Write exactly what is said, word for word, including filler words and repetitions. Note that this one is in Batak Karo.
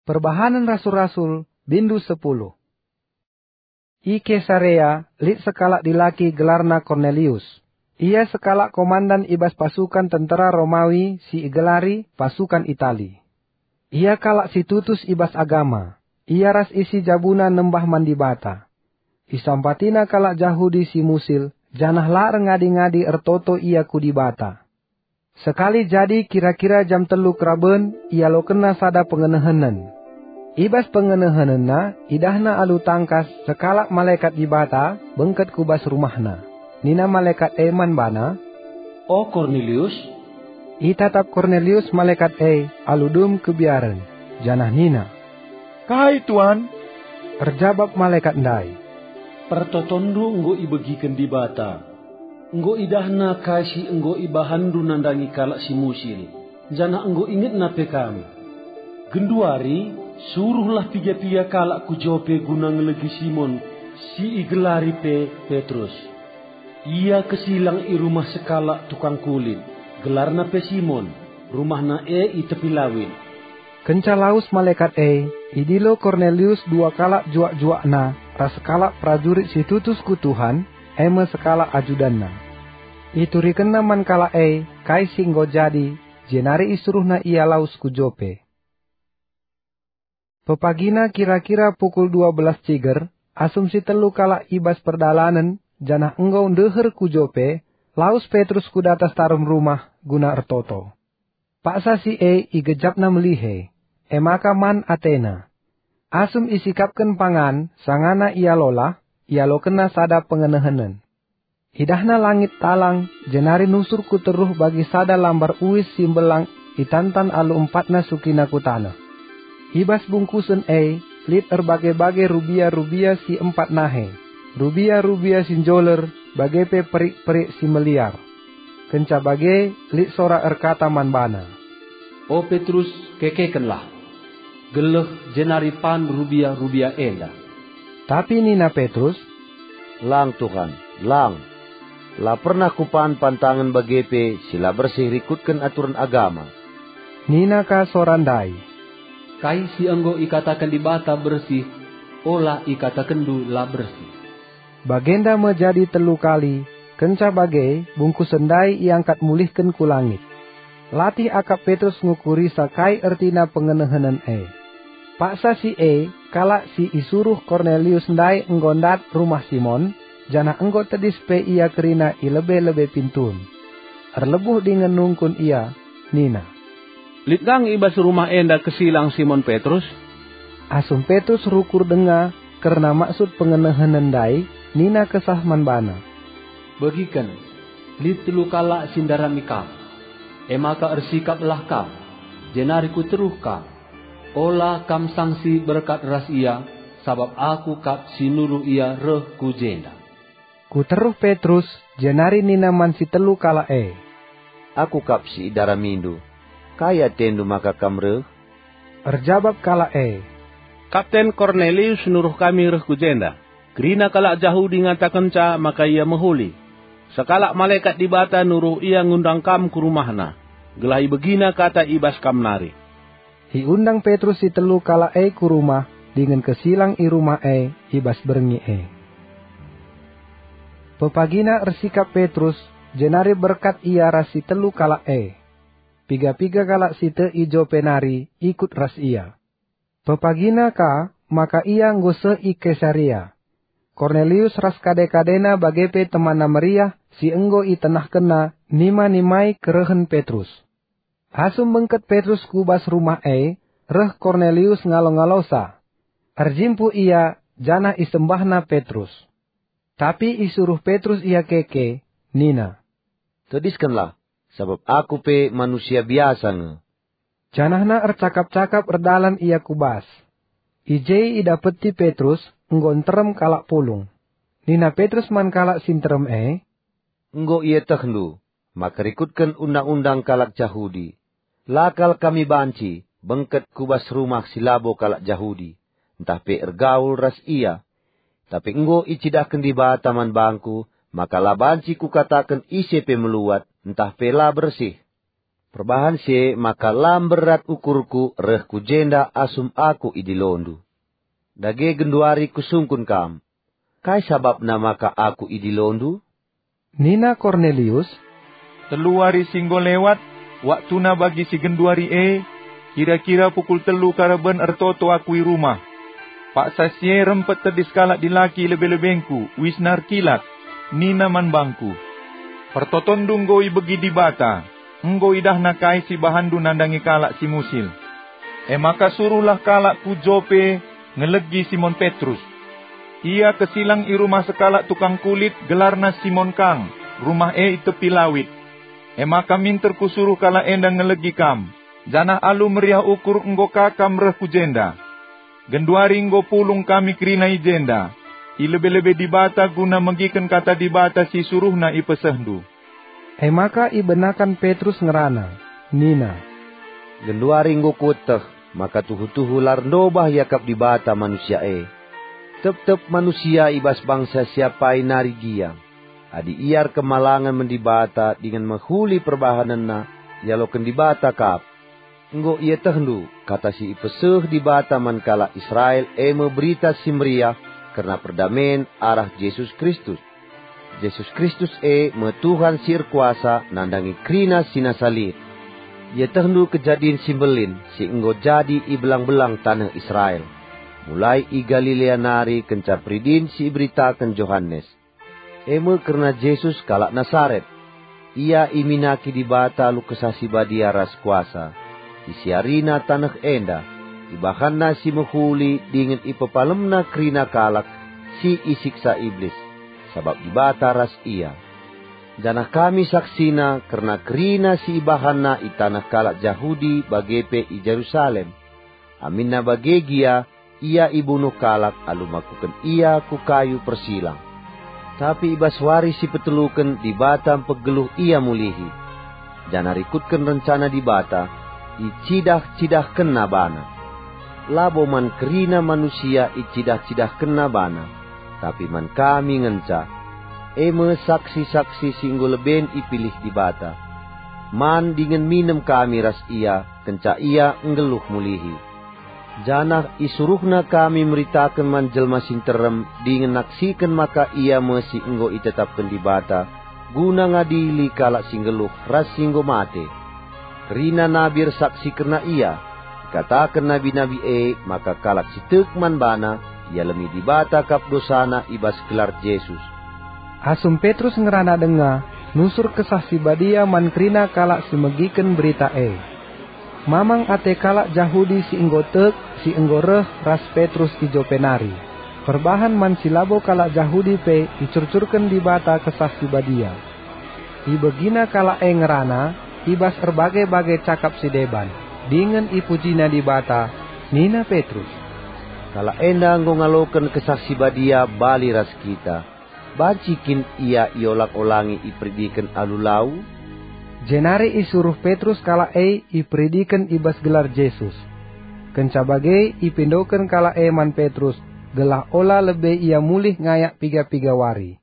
Perbahanen Rasul-Rasul, bindu sepuluh. I Kesarea lit sekalak dilaki gelarna Kornelius. Ia sekalak komandan i bas pasukan tentera Romawi si igelari pasukan Itali. Ia kalak si tutus i bas agama. Ia ras isi jabuna nembah man Dibata. Isampatina kalak Jahudi si musil, janah la erngadi-ngadi ertoto ia ku Dibata. Sekali jadi kira-kira jam telu keraben ialokenna sada pengenehenen. I bas pengenehenenna idahna alu tangkas sekalak malekat Dibata bengket ku bas rumahna. Nina malekat e man bana, "O Kornelius!" Itatap Kornelius malekat e alu dem kebiaren, janah nina, "Kai, Tuan?" Erjabap malekat ndai, "Pertotonndu enggo ibegiken Dibata. Enggo idahNa kai si enggo ibahanndu nandangi kalak si musil, janah enggo ingetNa pe kam. Genduari, suruhlah piga-piga kalak ku Jope guna ngelegi Simon si igelari pe Petrus. Ia kesilang i rumah sekalak tukang kulit, gelarna pe Simon, rumahna e i tepi lawit." Kenca lawes malekat e, idilo Kornelius dua kalak juak-juakna ras sekalak perajurit si tutus ku Tuhan, e me sekalak ajudanna. Iturikenna man kalak e kai si enggo jadi, jenari isuruhna ia lawes ku Jope. Pepagina kira-kira pukul dua belas ciger, asum si telu kalak i bas perdalanen, janah enggo ndeher ku Jope, lawes Petrus ku datas tarum rumah guna ertoto. Paksa si e igejapna melihe, e maka man atena. Asum isikapken pangan, sangana ia lolah, ialokenna sada pengenehenen. Idahna langit talang, jenari nusur ku teruh bagi sada lambar uis si mbelang itantan alu empatna sukina ku taneh. I bas bungkusen e lit erbage-bage rubia-rubia si empat nahe, rubia-rubia si njoler, bage pe perik-perik si meliar. Kenca bage lit sora erkata man bana, "O Petrus, kekekenlah! Geleh jenari pan rubia-rubia enda." Tapi nina Petrus, "Lang, Tuhan, lang! La pernah kupan pantangen bage pe si la bersih rikutken aturen agama." Nina ka sora ndai, "Kai si enggo ikataken Dibata bersih, ola ikatakenndu la bersih." Bagenda me jadi telu kali, kenca bage bungkusen ndai iangkat mulihken ku langit. Latih akap Petrus ngukurisa kai ertina pengenehenen e. Paksa si e, kalak si isuruh Kornelius ndai enggo ndat rumah Simon, janah enggo tedis pe ia kerina i lebe-lebe pintun. Erlebuh dingen nungkun ia, nina, "Lit nge i bas rumah enda kesilang Simon Petrus?" Asum Petrus rukur denga kerna maksud pengenehenen ndai, nina Kesah man bana, "Begiken, lit telu kalak si ndarami kam. E maka ersikaplah kam, jenari ku teruh kam. Ola kam sangsi berkat ras ia, sabap aku kap si nuruh ia reh ku jenda." Ku teruh Petrus, jenari nina man si telu kalak e, "Aku kap si idaramindu. Kai atendu maka kam reh?" Erjabap kalak e, "Kapten Kornelius nuruh kami reh ku jenda. Kerina kalak Jahudi ngatakenca maka ia mehuli. Sekalak malekat Dibata nuruh ia ngundang kam ku rumahna, gelah ibegina kata i bas kam nari." Iundang Petrus si telu kalak e ku rumah, dingen kesilang i rumah e i bas berngi e. Pepagina ersikap Petrus, jenari berkat ia ras si telu kalak e. Piga-piga kalak si tek i Jope nari ikut ras ia. Pepagina ka maka ia enggo seh i Kesarea. Kornelius ras kade-kadena bage pe temanna meriah si enggo itenahkenna nima-nimai kerehen Petrus. Asum bengket Petrus ku bas rumah e, reh Kornelius ngalo-ngalosa. Erjimpuh ia, janah isembahna Petrus. Tapi isuruh Petrus ia keke, nina, "Tediskenlah, sabap aku pe manusia biasa nge." Janahna ercakap-cakap erdalan ia ku bas. I je idapeti Petrus enggo nterem kalak pulung. Nina Petrus man kalak si nterem e, "Enggo ietehndu maka rikutken undang-undang kalak Jahudi, la kal kami banci bengket ku bas rumah si labo kalak Jahudi, ntah pe ergaul ras ia. Tapi enggo icidahken Dibata man bangku maka la banci kukataken ise pe meluat ntah pe la bersih." Perbahan si e maka la mberat ukurku reh ku jenda asum aku idilondu. Dage genduari kusungkun kam, kai sabapna maka aku idilondu?" Nina Kornelius, "Telu wari si enggo lewat, waktuna bagi si genduari e, kira-kira pukul telu karaben ertoto aku i rumah. Paksa si e rempet tedis kalak dilaki lebe-lebengku, uisna erkilat. Nina man bangku, 'Pertotonndu enggo ibegi Dibata, enggo idahNa kai si ibahanndu nandangi kalak si musil. E maka suruhlah kalak ku Jope ngelegi Simon Petrus. Ia kesilang i rumah sekalak tukang kulit, gelarna Simon kang, rumah e i tepi lawit. E maka minter kusuruh kalak enda ngelegi kam, janah alu meriah ukur enggo ka kam reh ku jenda. Genduari enggo pulung kami kerina i jenda, i lebe-lebe Dibata guna megiken kata Dibata si isuruhNa ipesehndu.'" E maka ibenaken Petrus ngerana, nina, "Genduari enggo kueteh maka tuhu-tuhu la erndobah iakap Dibata manusia e. Tep-tep manusia i bas bangsa si apai nari gia, adi ia erkemalangen man Dibata dingen mehuli perbahanenna, ialoken Dibata kap. Enggo ietehndu kata si ipeseh Dibata man kalak Israel, e me Berita Si Meriah kerna perdamen arah Jesus Kristus. Jesus Kristus e me Tuhan si erkuasa nandangi kerina si nasa lit. Ietehndu kejadin si mbelin si enggo jadi i belang-belang taneh Israel, mulai i Galilea nari kenca peridin si iberitaken Johanes. E me kerna Jesus kalak Nasaret. Ia iminaki Dibata alu Kesah Si Badia ras kuasa. Isiarina taneh enda, ibahanNa si mehuli dingen ipepalemNa kerina kalak si isiksa Iblis, sabap Dibata ras Ia. Janah kami saksina kerna kerina si ibahanNa i taneh kalak Jahudi bage pe i Jerusalem. Aminna bage gia, ia ibunuh kalak alu makuken ia ku kayu persilang. Tapi i bas wari si peteluken Dibata mpegeluh ia mulihi, janah rikutken rencana Dibata, icidah-cidahkenNa bana. Labo man kerina manusia icidah-cidahkenNa bana, tapi man kami ngenca, e me saksi-saksi si enggo leben ipilih Dibata, man dingen minem kami ras ia kenca ia nggeluh mulihi. Janah isuruhna kami meritaken man jelma si nterem dingen naksiken maka ia me si enggo itetapken Dibata guna ngadili kalak si nggeluh ras si enggo mate. Kerina nabi ersaksi kerna ia. Ikataken nabi-nabi e maka kalak si tek man bana ialemi Dibata kap dosana i bas gelar Jesus. Asum Petrus ngerana denga, nusur Kesah Si Badia man kerina kalak si megiken berita e. Mamang ate kalak Jahudi si enggo tek, si enggo reh ras Petrus i Jope nari. Perbahan man si labo kalak Jahudi pe icurcurken Dibata Kesah Si Badia. Ibegina kalak e ngerana i bas erbage-bage cakap si deban, dingen ipujina Dibata. Nina Petrus, "Kalak enda enggo ngaloken Kesah Si Badia bali ras kita. Banci kin ia iolang-olangi iperidiken alu lau?" Jenari isuruh Petrus kalak e iperidiken i bas gelar Jesus. Kenca bage ipindoken kalak e man Petrus, gelah ola lebe ia mulih ngayak piga-piga wari.